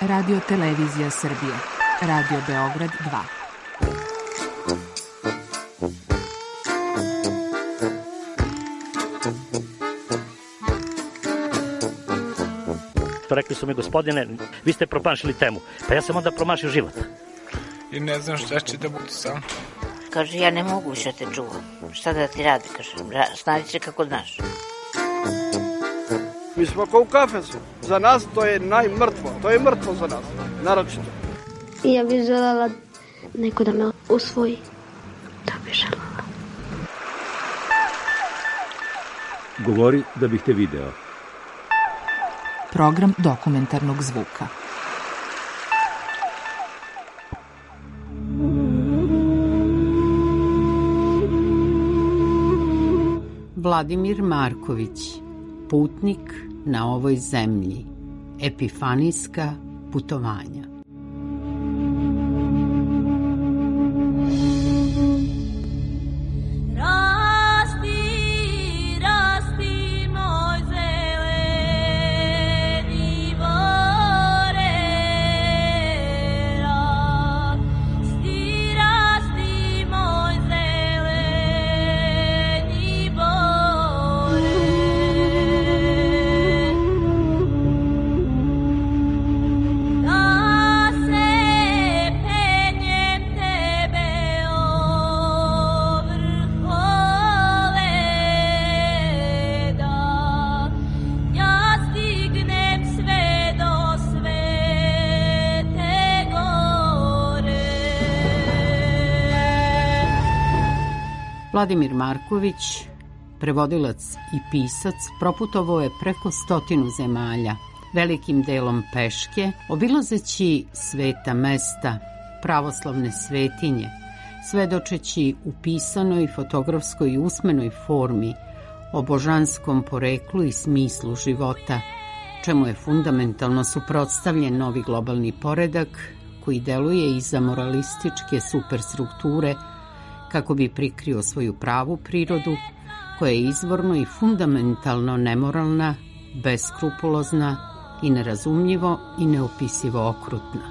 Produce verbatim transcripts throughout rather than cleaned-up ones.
Radio Televizija Srbije, Radio Beograd dva. Rekli su mi, gospodine, vi ste promašili temu. Pa ja sam onda promašio život. I ne znam šta će da budu sam. Kaže, ja ne mogu više te čuvam. Šta da ti radi, kaže, snađi se kako znaš. Mi smo kao u kafesu. Za nas to je najmrtvo. To je mrtvo za nas, naročito. Ja bih želela neko da me usvoji. Da bih želela. Govori da bih te video. Program dokumentarnog zvuka. Vladimir Marković, putnik na ovoj zemlji, epifanijska putovanja. Vladimir Marković, prevodilac i pisac, proputovao je preko stotinu zemalja, velikim delom peške, obilazeći sveta mesta, pravoslavne svetinje, svedočeći u pisanoj, fotografskoj i usmenoj formi o božanskom poreklu i smislu života, čemu je fundamentalno suprotstavljen novi globalni poredak koji deluje iza moralističke superstrukture kako bi prikrio svoju pravu prirodu, koja je izvorno i fundamentalno nemoralna, beskrupulozna i nerazumljivo i neopisivo okrutna.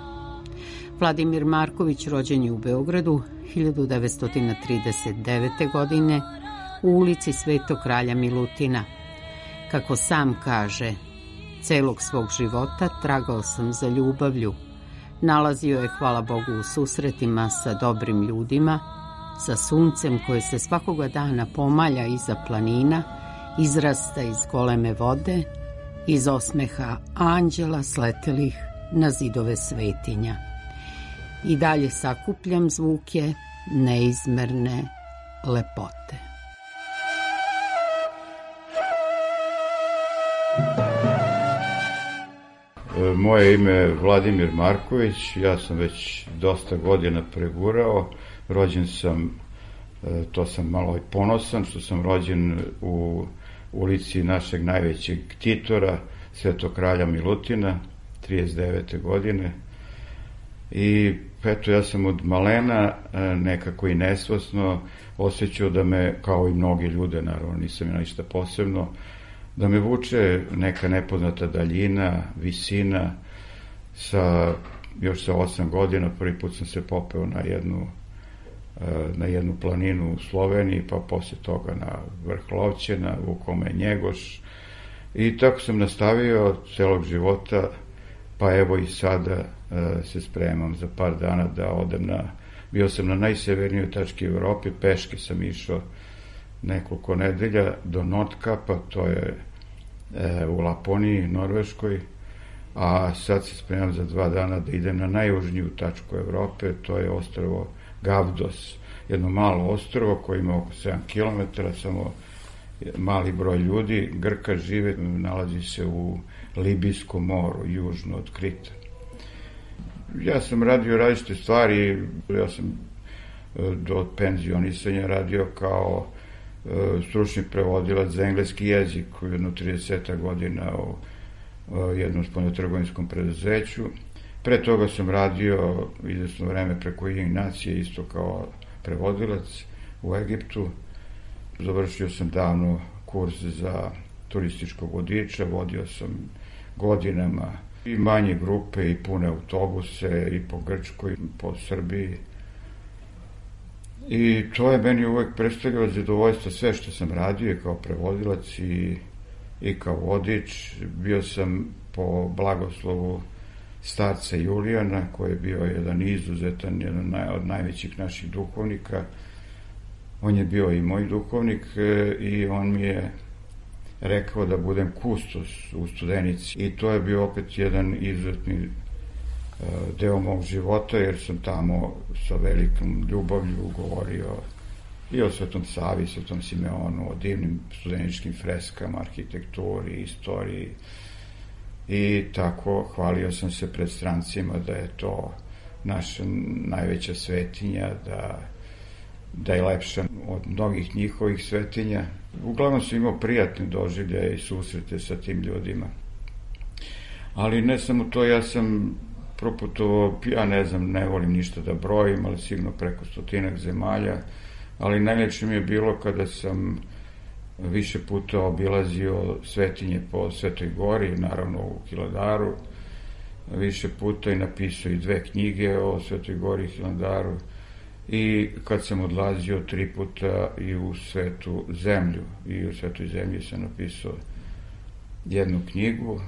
Vladimir Marković rođen je u Beogradu hiljadu devetsto trideset devete. godine u ulici Svetog kralja Milutina. Kako sam kaže, celog svog života tragao sam za ljubavlju. Nalazio je, hvala Bogu, u susretima sa dobrim ljudima, sa suncem koje se svakoga dana pomalja iza planina, izrasta iz goleme vode, iz osmeha anđela sletelih na zidove svetinja. I dalje sakupljam zvuke neizmerne lepote. Moje ime je Vladimir Marković, ja sam već dosta godina pregurao. Rođen sam, to sam malo i ponosan, što sam rođen u ulici našeg najvećeg ktitora, Svetog kralja Milutina, trideset devete. godine. I eto, ja sam od malena nekako i nesvesno osjećao da me, kao i mnogi ljude, naravno nisam ja ništa posebno, da me vuče neka nepoznata daljina, visina. Sa, još sa osam godina prvi put sam se popeo na jednu na jednu planinu u Sloveniji, pa posle toga na vrh Lovćena, vukao me Njegoš. I tako sam nastavio celog života, pa evo i sada e, se spremam za par dana da odem na, bio sam na najsevernijoj tački Evrope, peške sam išao nekoliko nedelja do Nordkapa, to je e, u Laponiji, Norveškoj, a sad se spremam za dva dana da idem na najjužniju tačku Evrope, to je ostrvo Gavdos, jedno malo ostrvo koje ima oko sedam kilometara, samo mali broj ljudi, Grka žive, nalazi se u Libijskom moru, južno od Krita. Ja sam radio različite stvari, ja sam do penzionisanja radio kao stručni prevodilac za engleski jezik u jedno trideset godina u jednom spoljnotrgovinskom preduzeću. Pre toga sam radio izvesno vreme preko Ujedinjenih nacija, isto kao prevodilac u Egiptu. Završio sam davno kurs za turističkog vodiča, vodio sam godinama I manje grupe, i pune autobuse, i po Grčkoj, i po Srbiji. I to je meni uvek predstavljalo zadovoljstvo sve što sam radio kao prevodilac i, i kao vodič. Bio sam po blagoslovu starca Julijana, koji je bio jedan izuzetan, jedan od najvećih naših duhovnika. On je bio i moj duhovnik i on mi je rekao da budem kustos u Studenici. I to je bio opet jedan izuzetni deo mog života, jer sam tamo sa velikom ljubavlju govorio i o Svetom Savi, Svetom Simeonu, o divnim studeničkim freskama, arhitekturi, istoriji. I tako hvalio sam se pred strancima da je to naša najveća svetinja, da, da je lepša od mnogih njihovih svetinja. Uglavnom sam imao prijatne doživljaje i susrete sa tim ljudima. Ali ne samo to, ja sam proputovao, ja ne znam, ne volim ništa da brojim, ali sigurno preko stotinak zemalja, ali najljepše mi je bilo kada sam više puta obilazio svetinje po Svetoj Gori, naravno u Hilandaru, više puta i napisao i dve knjige o Svetoj Gori i Hilandaru, i kad sam odlazio tri puta i u Svetu zemlju, i u Svetoj zemlji sam napisao jednu knjigu,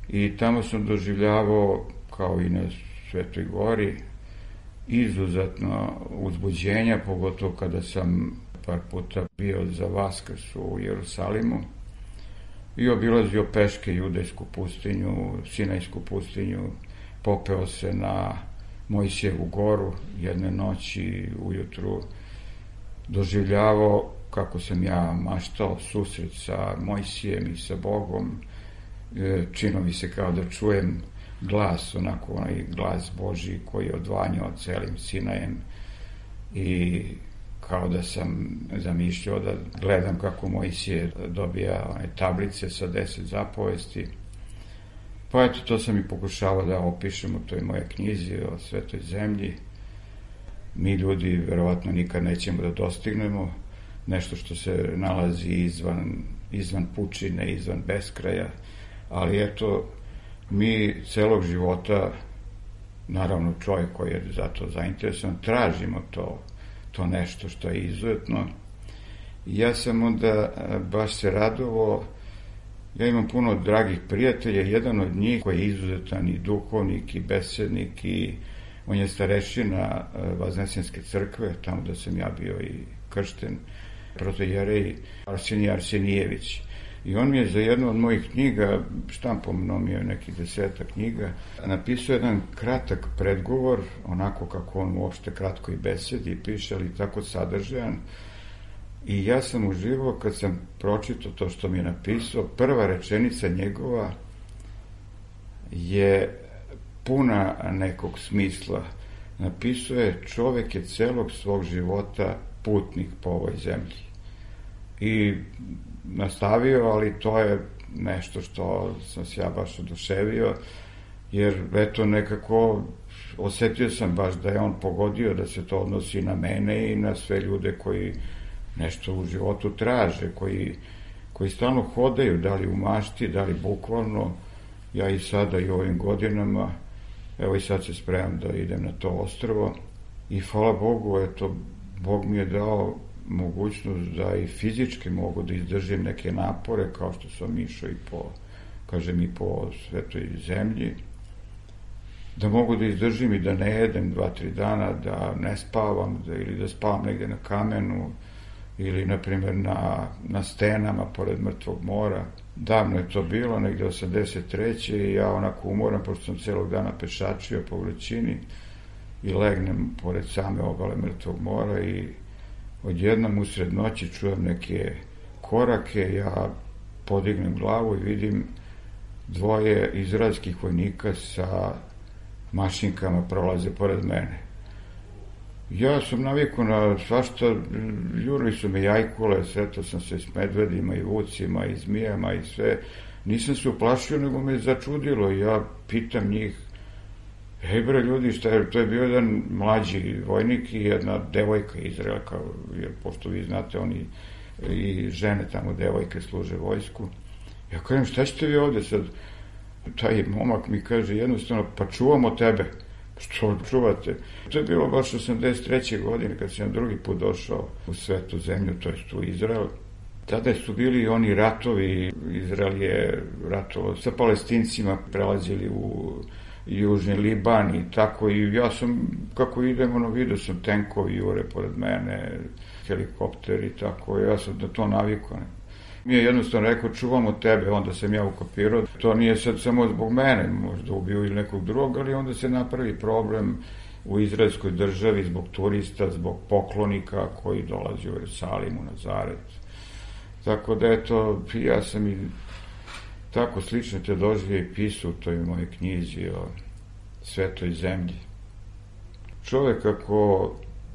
i tamo sam doživljavao, kao i na Svetoj Gori, izuzetno uzbuđenja, pogotovo kada sam par puta bio za Vaskrs u Jerusalimu i obilazio peške Judejsku pustinju, Sinajsku pustinju, popeo se na Mojsijevu goru jedne noći ujutru, doživljavao kako sam ja maštao susret sa Mojsijem i sa Bogom, čino mi se kao da čujem glas, onako onaj glas Božji koji je odvanjao celim Sinajem, i kao da sam zamišljao da gledam kako Mojsije dobija one tablice sa deset zapovesti. Pa eto, to sam i pokušavao da opišem u toj moje knjizi o Svetoj zemlji. Mi ljudi verovatno nikad nećemo da dostignemo nešto što se nalazi izvan, izvan pučine, izvan beskraja, ali eto, mi celog života, naravno čovjek koji je za to zainteresovan, tražimo to, to nešto što je izuzetno. Ja sam onda baš se radovao, ja imam puno dragih prijatelja, jedan od njih koji je izuzetan i duhovnik i besednik, i on je starešina Vaznesenske crkve, tamo da sam ja bio i kršten, protojerej Arsenije Arsenijević. I on mi je za jednu od mojih knjiga, štampom nomio nekih deseta knjiga, napisao jedan kratak predgovor, onako kako on uopšte kratko i besedi piše, ali tako sadržajan. I ja sam uživao kad sam pročitao to što mi je napisao. Prva rečenica njegova je puna nekog smisla. Napisao je: čovek je celog svog života putnik po ovoj zemlji. I nastavio, ali to je nešto što sam se ja baš oduševio, jer eto nekako osetio sam baš da je on pogodio da se to odnosi na mene i na sve ljude koji nešto u životu traže, koji, koji stalno hodaju, da li u mašti, da li bukvalno. Ja i sada i ovim godinama, evo i sad se spremam da idem na to ostrvo, i hvala Bogu, eto, Bog mi je dao mogućnost da i fizički mogu da izdržim neke napore, kao što sam išao i po, kažem, i po Svetoj zemlji, da mogu da izdržim i da ne jedem dva, tri dana, da ne spavam, da, ili da spavam negde na kamenu, ili, na primjer, na, na stenama pored Mrtvog mora. Davno je to bilo, negde osamdeset treće i ja onako umoram, pošto sam celog dana pešačio po vrućini, i legnem pored same obale Mrtvog mora i odjednom usred noći čujem neke korake, ja podignem glavu i vidim dvoje izraelskih vojnika sa mašinkama prolaze pored mene. Ja sam navikao na svašta, jurili su me jajkule, sretao sam se s medvedima i vucima i zmijama i sve. Nisam se uplašio, nego me začudilo. Ja pitam njih: hej bre ljudi, šta je? To je bio jedan mlađi vojnik i jedna devojka Izraelka, jer pošto vi znate, oni i žene tamo, devojke, služe vojsku. Ja kažem: šta ćete vi ovde sad? taj momak mi kaže jednostavno, pa čuvamo tebe. Što čuvate? To je bilo baš osamdeset treće godine kad sam drugi put došao u svetu zemlju, to jest u Izrael. Tada su bili oni ratovi, Izrael je ratovao sa Palestincima, prelazili u Južni Liban i tako, i ja sam, kako idemo, no vidio sam tenkovi jure pored mene, helikopter i tako, ja sam na to navikao. Mi je jednostavno rekao, čuvamo tebe, onda sam ja ukapirao. To nije sad samo zbog mene, možda ubiju ili nekog drugog, ali onda se napravi problem u izraelskoj državi zbog turista, zbog poklonika koji dolazi u Jerusalim, u Nazaret. Tako da, eto, ja sam i tako slično te doživio i pisao u toj moje knjizi o svetoj zemlji. Čovek ako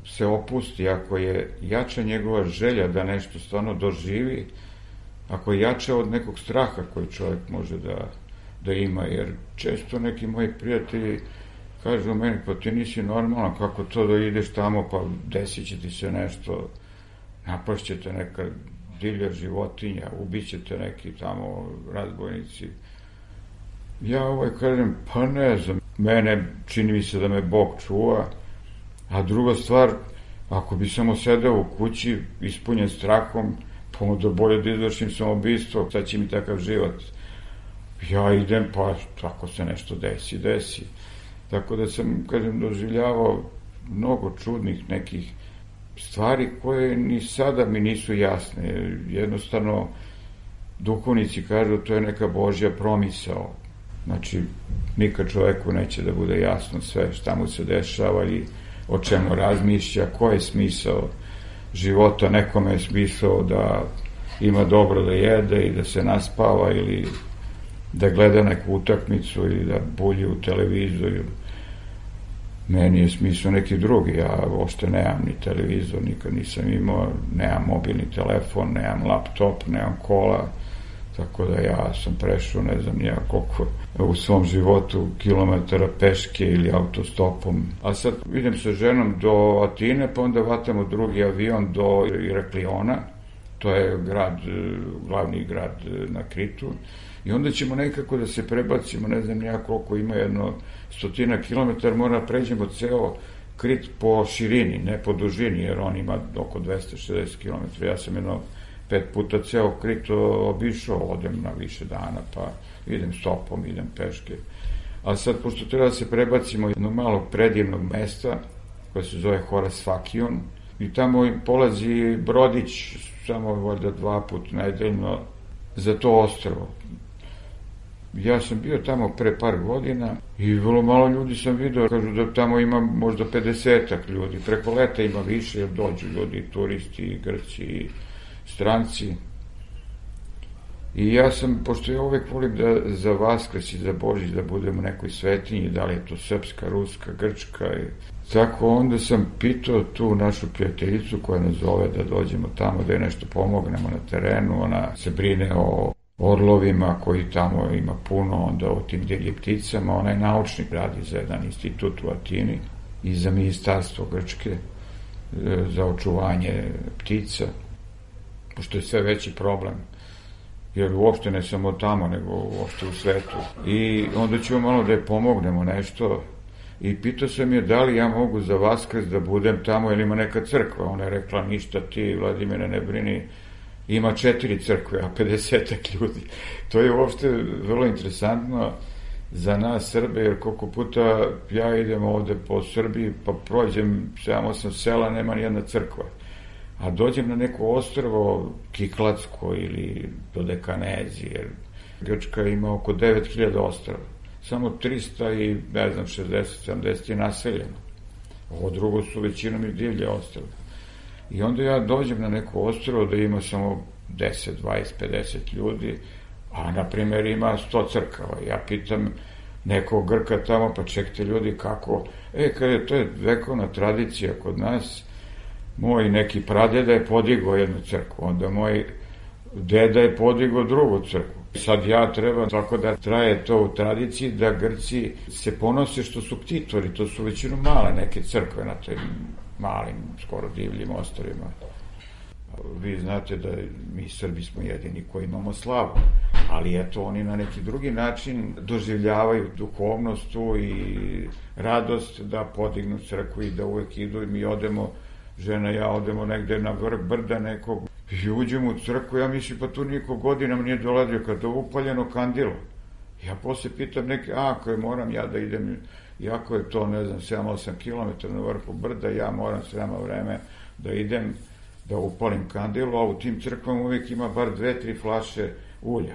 se opusti, ako je jača njegova želja da nešto stvarno doživi, ako je jača od nekog straha koji čovjek može da, da ima, jer često neki moji prijatelji kažu meni, pa ti nisi normalan, kako to da ideš tamo, pa desit će ti se nešto, napašćete neka divlja životinja, ubićete neki tamo razbojnici. Ja ovaj kažem, pa ne znam, mene čini mi se da me Bog čuva, a druga stvar, ako bi samo sedeo u kući ispunjen strahom, pa onda bolje da izvršim samoubistvo, sad će mi takav život. Ja idem, pa ako se nešto desi, desi. Tako da sam, kažem, doživljavao mnogo čudnih nekih stvari koje ni sada mi nisu jasne. Jednostavno, duhovnici kažu to je neka Božja promisao. Znači, nikad čoveku neće da bude jasno sve šta mu se dešava i o čemu razmišlja, ko je smisao života. Nekome je smisao da ima dobro da jede i da se naspava ili da gleda neku utakmicu ili da bulji u televizoru. Meni je smisao neki drugi, ja uopšte nemam ni televizor, nikad nisam imao, nemam mobilni telefon, nemam laptop, nemam kola, tako da ja sam prešao, ne znam nija koliko, u svom životu kilometara peške ili autostopom. A sad idem sa ženom do Atine, pa onda vatamo drugi avion do Irakliona, to je grad, glavni grad na Kritu, i onda ćemo nekako da se prebacimo, ne znam nija koliko ima, jedno stotina kilometara, mora pređemo ceo Krit po širini, ne po dužini, jer on ima oko dvesta šezdeset kilometara. Ja sam jedno pet puta ceo Krit obišao, odem na više dana, pa idem stopom, idem peške. A sad, pošto treba da se prebacimo jednog malog predivnog mesta, koje se zove Horasfakion, i tamo polazi brodić, samo valjda dva put nedeljno, za to ostrvo. Ja sam bio tamo pre par godina i vrlo malo ljudi sam vidio, kažu da tamo ima možda pedesetak ljudi, preko leta ima više jer dođu ljudi, turisti, i Grci, i stranci. I ja sam, pošto ja uvek volim da za Vaskrs i za Božić da budem u nekoj svetinji, da li je to srpska, ruska, grčka, i tako onda sam pitao tu našu prijateljicu koja nas zove da dođemo tamo, da je nešto pomognemo na terenu, ona se brine o orlovima koji tamo ima puno, onda o tim divljim pticama, ona je naučnik, radi za jedan institut u Atini i za ministarstvo Grčke za očuvanje ptica, pošto je sve veći problem, jer uopšte ne samo tamo, nego uopšte u svetu. I onda ćemo malo da je pomognemo nešto i pitao sam je da li ja mogu za Vaskrs da budem tamo ili ima neka crkva. Ona je rekla, ništa ti, Vladimire, ne brini, ima četiri crkve, a pedesetak ljudi. To je uopšte vrlo interesantno za nas Srbe, jer koliko puta ja idem ovde po Srbiji, pa prođem sedam osam sela, nema nijedna crkva. A dođem na neko ostrvo, Kiklatsko ili Dodekanezi, jer Grčka ima oko devet hiljada ostrva. Samo trista i, ne znam, šezdeset sedamdeset je naseljeno. Ovo drugo su većinom i divlje ostrve. I onda ja dođem na neko ostrvo da ima samo deset, dvadeset, pedeset ljudi, a na primjer ima sto crkava. Ja pitam nekog Grka tamo, pa čekajte ljudi kako, e, kada to je vekovna tradicija kod nas, moj neki pradeda je podigao jednu crkvu, onda moj deda je podigao drugu crkvu. Sad ja treba, tako da traje to u tradiciji, da Grci se ponose što su ktitori, to su većinom male neke crkve na tim malim, skoro divljim ostrvima. Vi znate da mi Srbi smo jedini koji imamo slavu, ali eto oni na neki drugi način doživljavaju duhovnost tu i radost da podignu crkvu i da uvek idu i mi odemo, žena i ja odemo negde na vrh brda nekog i uđemo u crkvu, ja mislim pa tu niko godinama nije dolazio kada je upaljeno kandilo. Ja posle pitam neke, a ako je moram ja da idem, iako je to ne znam sedam osam kilometara na vrhu brda, ja moram srema vreme da idem da upalim kandilo, a u tim crkvama uvijek ima bar dve, tri flaše ulja.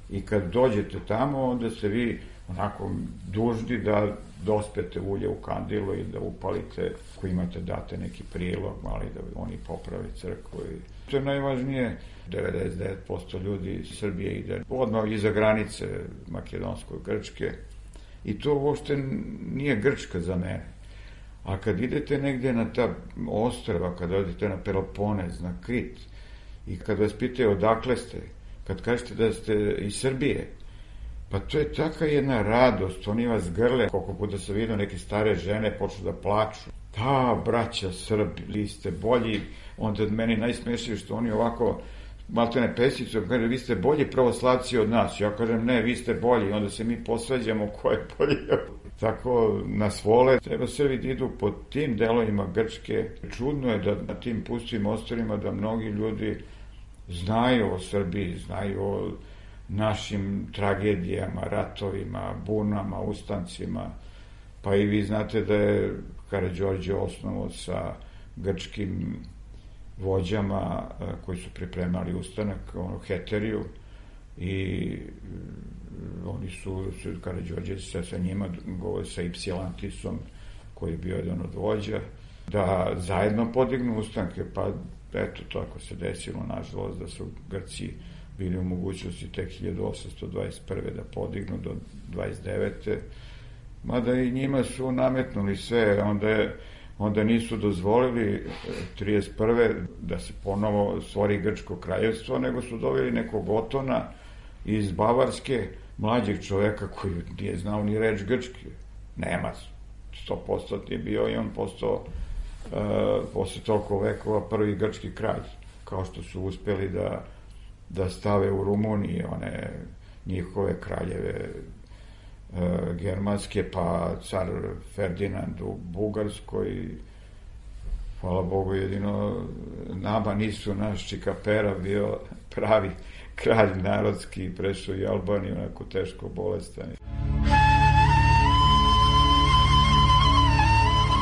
I kad dođete tamo, onda ste vi onako dužni da dospete ulje u kandilo i da upalite, ako imate date neki prilog, mali da oni poprave crkvu. I to je najvažnije, devedeset devet posto ljudi iz Srbije ide odmah iza granice makedonsko-grčke i to uopšte nije Grčka za mene. A kad idete negde na ta ostrva, kad odete na Peloponez, na Krit, i kad vas pitaju odakle ste, kad kažete da ste iz Srbije, pa to je taka jedna radost, oni vas grle, koliko puta sam vidio neke stare žene počnu da plaču. Da, braća Srbi, vi ste bolji, onda meni najsmešnije što oni ovako, maltene pesicu, kaže, vi ste bolji pravoslavci od nas. Ja kažem, ne, vi ste bolji, onda se mi posvađamo ko je bolji. Tako nas vole. Treba Srbi da idu po tim delovima Grčke. Čudno je da na tim pustim ostrvima da mnogi ljudi znaju o Srbiji, znaju o našim tragedijama, ratovima, bunama, ustancima. Pa i vi znate da je Karađorđe osnovao sa grčkim vođama koji su pripremali ustanak, ono, Heteriju, i oni su, Karađorđe se sa njima govori sa Ipsilantisom, koji je bio jedan od vođa, da zajedno podignu ustanke, pa eto, tako se desilo, nažalost, da su Grci bili u mogućnosti tek hiljadu osamsto dvadeset prve da podignu do dvadeset devete Mada i njima su nametnuli sve, onda je onda nisu dozvolili trideset prve da se ponovo stvori Grčko kraljevstvo, nego su doveli nekog Otona iz Bavarske, mlađeg čoveka koji nije znao ni reč grčki. Nemac, sto posto je bio i on postao uh, posle toliko vekova prvi grčki kralj, kao što su uspeli da, da stave u Rumuniji one njihove kraljeve uh, germanske, pa car Ferdinand u Bugarskoj. Hvala Bogu, jedino nama nisu, naš Čikapera bio pravi kralj narodski, prešao i Albaniju, onako teško bolestan.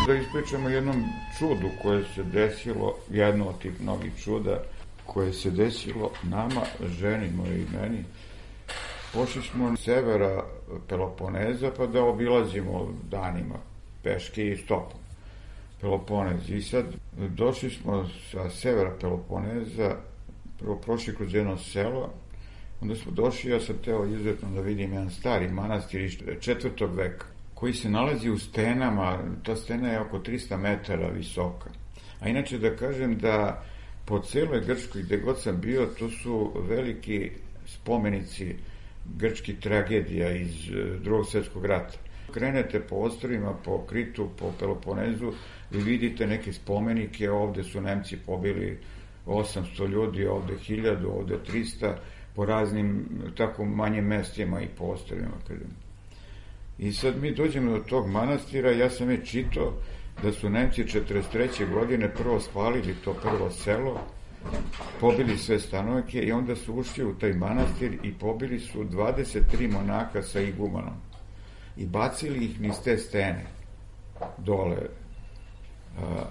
Da ispričamo jednom čudu koje se desilo, jedno od tih mnogih čuda koje se desilo nama, ženi moje i meni. Pošli smo s severa Peloponeza pa da obilazimo danima peške i stopom Peloponez. I sad došli smo sa severa Peloponeza, prvo prošli kroz jedno selo, onda smo došli, ja sam teo izuzetno da vidim jedan stari manastir iz četvrtog veka, koji se nalazi u stenama, ta stena je oko trista metara visoka. A inače da kažem da po celoj Grčkoj, gde god sam bio, to su veliki spomenici grčkih tragedija iz drugog svjetskog rata. Krenete po ostrvima, po Kritu, po Peloponezu, vi vidite neke spomenike, ovde su Nemci pobili osamsto ljudi, ovde hiljadu, ovde trista, po raznim tako manjim mestima i po ostrvima. I sad mi dođemo do tog manastira, ja sam je čitao da su Nemci četrdeset treće godine prvo spalili to prvo selo, pobili sve stanovike i onda su ušli u taj manastir i pobili su dvadeset tri monaka sa igumanom i bacili ih niz te stene dole. A,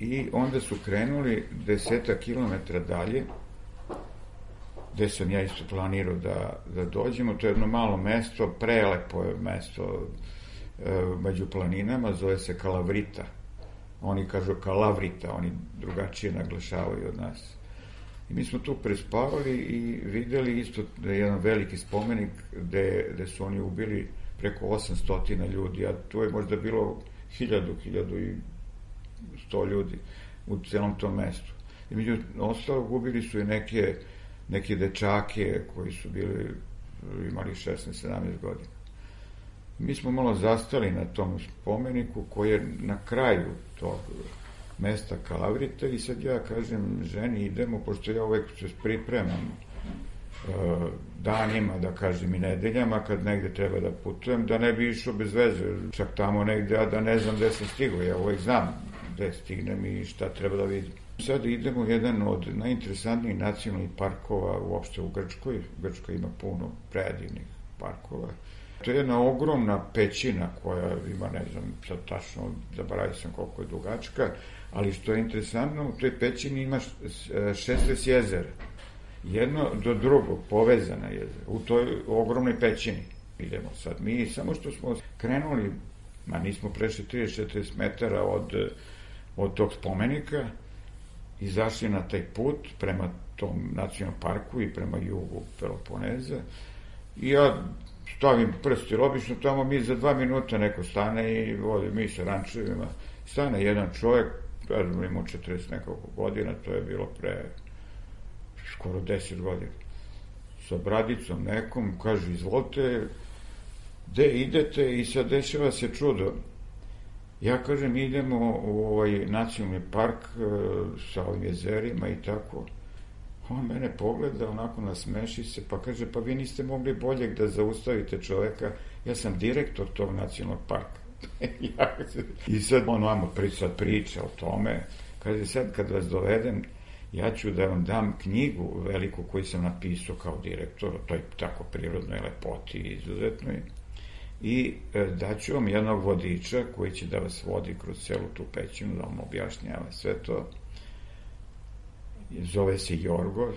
i onda su krenuli deseta kilometra dalje, gde sam ja isto planirao da, da dođemo. To je jedno malo mesto, prelepo je mesto e, među planinama, zove se Kalavrita. Oni kažu Kalavrita, oni drugačije naglašavaju od nas. I mi smo tu prespavali i videli isto da je jedan veliki spomenik gde, gde su oni ubili preko osamsto ljudi, a tu je možda bilo hiljadu, hiljadu i sto ljudi u celom tom mestu. I među ostalog ubili su i neke neke dečake koji su bili, imali šesnaest sedamnaest godina. Mi smo malo zastali na tom spomeniku koji je na kraju tog mesta Kalavrita i sad ja kažem ženi idemo, pošto ja uvek se pripremam danima, da kažem i nedeljama, kad negde treba da putujem, da ne bi išao bez veze, čak tamo negde, a da ne znam gde sam stigao, ja uvek znam gde stignem i šta treba da vidim. Sad idemo u jedan od najinteresantnijih nacionalnih parkova uopšte u Grčkoj. Grčka ima puno predivnih parkova. To je jedna ogromna pećina koja ima, ne znam, sad tačno zaboravio sam koliko je dugačka, ali što je interesantno, u toj pećini ima šesnaest jezera. Jedno do drugog, povezana jezera, u toj ogromnoj pećini. Idemo sad mi, samo što smo krenuli, ma nismo prešli trideset do četrdeset metara od, od tog spomenika, izašli na taj put prema tom nacionalnom parku i prema jugu Peloponeza i ja stavim prst, jer obično tamo mi za dva minuta neko stane i vodi mi sa rančevima, stane jedan čovjek, ja znam imao četrdeset nekoliko godina, to je bilo pre skoro deset godina, sa bradicom nekom, kaže izvolite, gde idete, i sad dešava se čudo. Ja kažem idemo u ovaj nacionalni park e, sa ovim jezerima i tako. On mene pogleda, onako nasmeši se, pa kaže, pa vi niste mogli boljeg da zaustavite čoveka, ja sam direktor tog nacionalnog parka. ja, I sad on vamo sad priča o tome, kaže, sad kad vas dovedem, ja ću da vam dam knjigu veliku koju sam napisao kao direktor, to je tako prirodnoj lepoti i izuzetnoj, i daću vam jednog vodiča koji će da vas vodi kroz celu tu pećinu, da vam objašnjava sve to. Zove se Jorgo.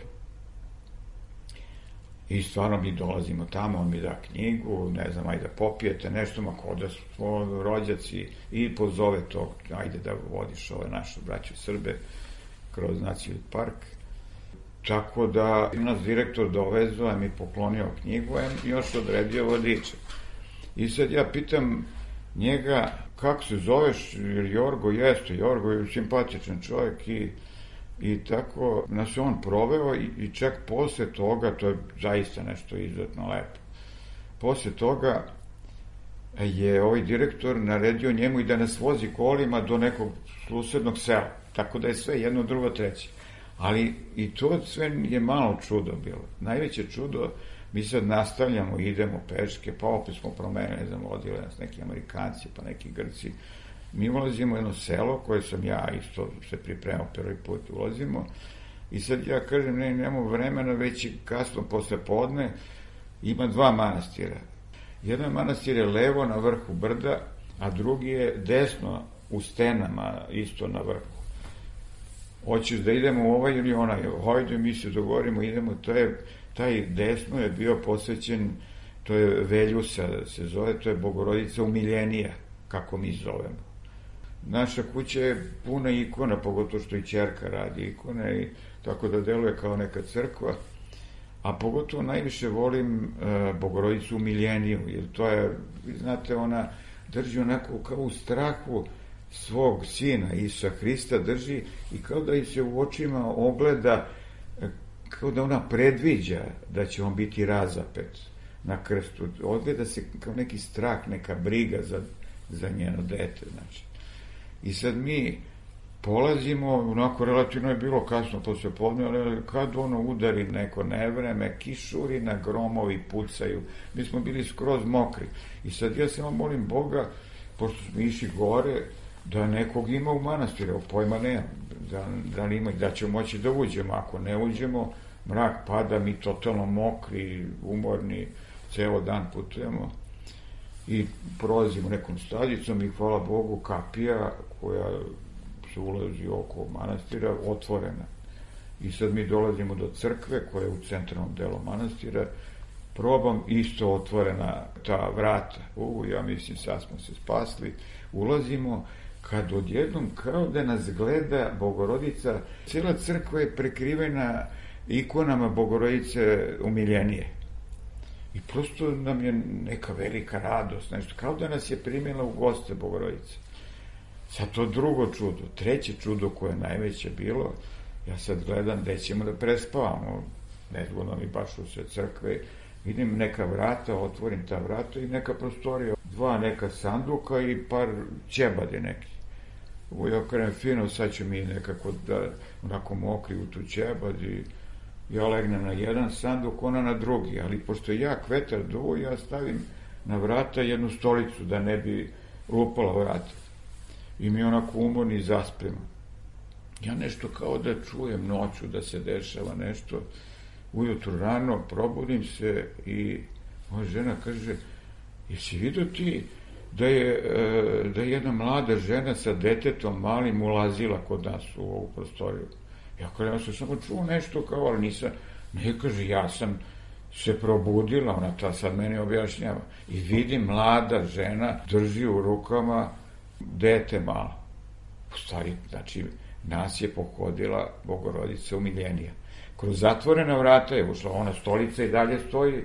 I stvarno mi dolazimo tamo, on mi da knjigu, ne znam, ajde da popijete nešto, ma ko da smo rođaci, i pozove to, ajde da vodiš ove naše braće Srbe kroz nacionalni park. Tako da nas direktor dovezao, mi poklonio knjigu, i još odredio vodiča. I sad ja pitam njega, kako se zoveš, jer Jorgo jeste, Jorgo je simpatičan čovjek i, i tako nas je on proveo i, i čak posle toga, to je zaista nešto izuzetno lepo, posle toga je ovaj direktor naredio njemu i da nas vozi kolima do nekog susednog sela, tako da je sve jedno, drugo, treće. Ali i to sve je malo čudo bilo. Najveće čudo, mi sad nastavljamo, idemo peške, pa opet smo promenili, ne znam, odjeli nas neki Amerikanci, pa neki Grci. Mi ulazimo u jedno selo koje sam ja isto se pripremao prvi put, ulazimo, i sad ja kažem, ne, nemamo vremena, već i kasno posle podne, ima dva manastira. Jedan manastir je levo na vrhu brda, a drugi je desno u stenama, isto na vrhu. Hoćeš da idemo u ovaj ili onaj, hajde, mi se dogovorimo, idemo, to je, taj desno je bio posvećen, to je Veljusa se zove, to je Bogorodica umiljenija, kako mi zovemo. Naša kuća je puna ikona, pogotovo što i ćerka radi ikone, i tako da deluje kao neka crkva, a pogotovo najviše volim e, Bogorodicu umiljeniju, jer to je, znate, ona drži onako kao u strahu svog sina, Isusa Hrista drži, i kao da i se u očima ogleda, kao da ona predviđa da će on biti razapet na krstu. Ogleda se kao neki strah, neka briga za, za njeno dete, znači. I sad mi polazimo, onako relativno je bilo kasno posle podne, ali kad ono udari neko nevreme, kišurina, gromovi pucaju, mi smo bili skroz mokri. I sad ja samo molim Boga, pošto smo išli gore, da nekog ima u manastiru, pojma nemam, da, da, ima, da ćemo moći da uđemo, ako ne uđemo, mrak pada, mi totalno mokri, umorni, ceo dan putujemo i prolazimo nekom staljicom i hvala Bogu kapija koja se ulazi oko manastira, otvorena. I sad mi dolazimo do crkve koja je u centralnom delu manastira, probam, isto otvorena ta vrata. U, ja mislim, sad smo se spasli, ulazimo, kad odjednom kao da nas gleda Bogorodica, cijela crkva je prekrivena ikonama Bogorodice umiljenije. I prosto nam je neka velika radost, nešto, kao da nas je primila u goste Bogorodice. Sad to drugo čudo, treće čudo koje je najveće bilo, ja sad gledam gde ćemo da prespavamo, nezgodno mi baš u sve crkve, vidim neka vrata, otvorim ta vrata i neka prostorija, dva neka sanduka i par ćebade neki. ja kažem, fino, sad ću mi nekako da, onako mokri u tu ćebad i ja legnem na jedan sanduk, ona na drugi, ali pošto je jak vetar duo, ja stavim na vrata jednu stolicu da ne bi lupala vrata. I mi onako umorni zaspemo. Ja nešto kao da čujem noću da se dešava nešto. Ujutru rano probudim se i moja žena kaže, jesi vidio ti da je, da je jedna mlada žena sa detetom malim ulazila kod nas u ovu prostoriju? Ja kažem, ja sam samo čuo nešto kao, ali nisam, ne kaže, ja sam se probudila, ona ta sad meni objašnjava, i vidim mlada žena drži u rukama dete malo. U stvari, znači, nas je pohodila Bogorodica umiljenija. Kroz zatvorena vrata je ušla, ona stolica i dalje stoji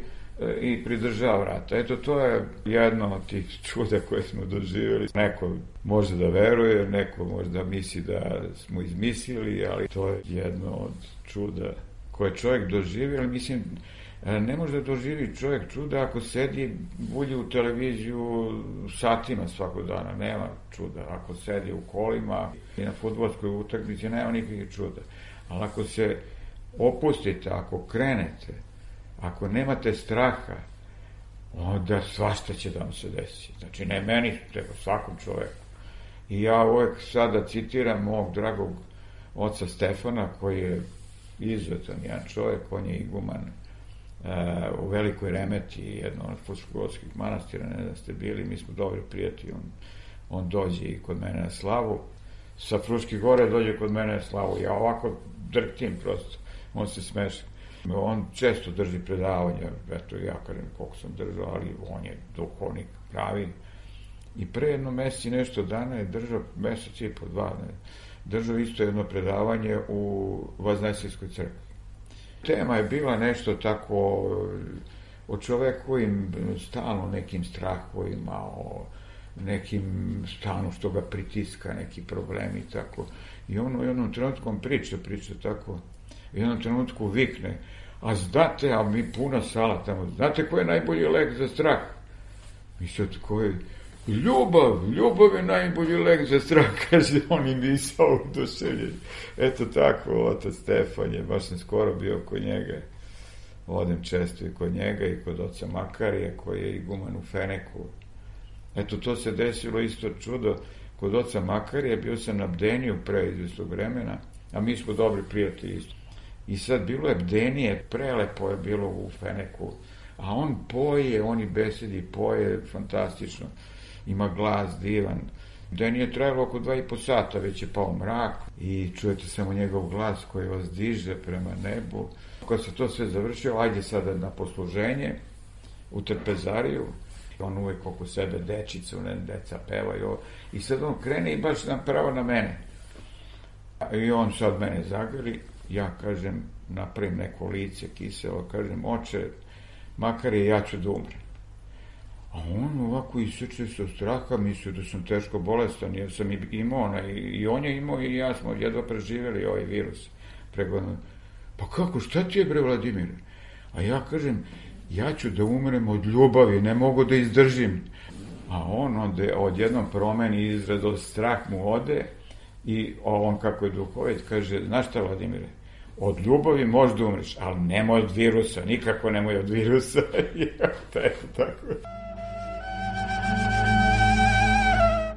i pridržava vrata. Eto, to je jedno od tih čuda koje smo doživjeli. Neko može da veruje, neko može da misli da smo izmislili, ali to je jedno od čuda koje čovjek doživi, ali mislim, ne može da doživi čovjek čuda ako sedi, bulji u televiziju satima svakog dana, nema čuda. Ako sedi u kolima i na fudbalskoj utakmici, nema nikakvih čuda. Ali ako se opustite, ako krenete, ako nemate straha, onda svašta će da vam se desi. Znači, ne meni, nego svakom čoveku. I ja uvek sada citiram mog dragog oca Stefana, koji je izuzetan jedan čovek, on je iguman uh, u Velikoj Remeti, jedno od Fruškogorskih manastira, ne da ste bili, mi smo dobri prijatelji, on, on dođe i kod mene na slavu, sa Fruških gore dođe kod mene na slavu, ja ovako drktim prosto, on se smeša. On često drži predavanja, eto ja kažem koliko sam držao, ali on je duhovnik pravi. I pre jedno mesec i nešto dana je držao, mesec i po dva, ne, držao isto jedno predavanje u Vaznajsijskoj crkvi. Tema je bila nešto tako o čovekovim stalno nekim strahovima, o nekim stalno što ga pritiska, neki problemi i tako. I on u jednom trenutku priča, priča tako, u jednom trenutku vikne, a znate, a mi puna sala tamo, znate ko je najbolji lek za strah? I sad ko je, ljubav, ljubav je najbolji lek za strah, kaže on i misao uduševljen. Eto tako, otac Stefan je, baš sam skoro bio kod njega, odem često i kod njega i kod oca Makarija, koji je iguman u Feneku. Eto, to se desilo isto čudo, kod oca Makarija, bio sam na bdeniju pre izvestog vremena, a mi smo dobri prijatelji isto. I sad bilo je bdenije, prelepo je bilo u Feneku, a on poje, on i besedi, poje fantastično, ima glas divan. Bdenije trajalo oko dva i po sata, već je pao mrak i čujete samo njegov glas koji vas diže prema nebu. Kad se to sve završilo, ajde sada na posluženje u trpezariju, on uvek oko sebe dečicu, ne, deca pevaju, i sad on krene i baš napravo na mene. I on sad mene zagrli, ja kažem, napravim neko lice kiselo, kažem, oče, makar je ja ću da umrem. A on ovako isječe se od straha, mislio da sam teško bolestan, jer sam imao ona, i on je imao i ja smo jedva preživjeli ovaj virus. Pregodno, pa kako, šta ti je bre, Vladimire? A ja kažem, ja ću da umrem od ljubavi, ne mogu da izdržim. A on onda odjednom promeni izraz, od strah mu ode, i on kako je duhovit kaže, znaš šta, Vladimire, od ljubavi možda umreš, ali nemoj od virusa, nikako nemoj od virusa. Eto tako.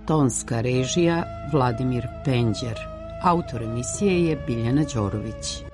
Tonska režija Vladimir Penđer. Autor emisije je Biljana Đorović.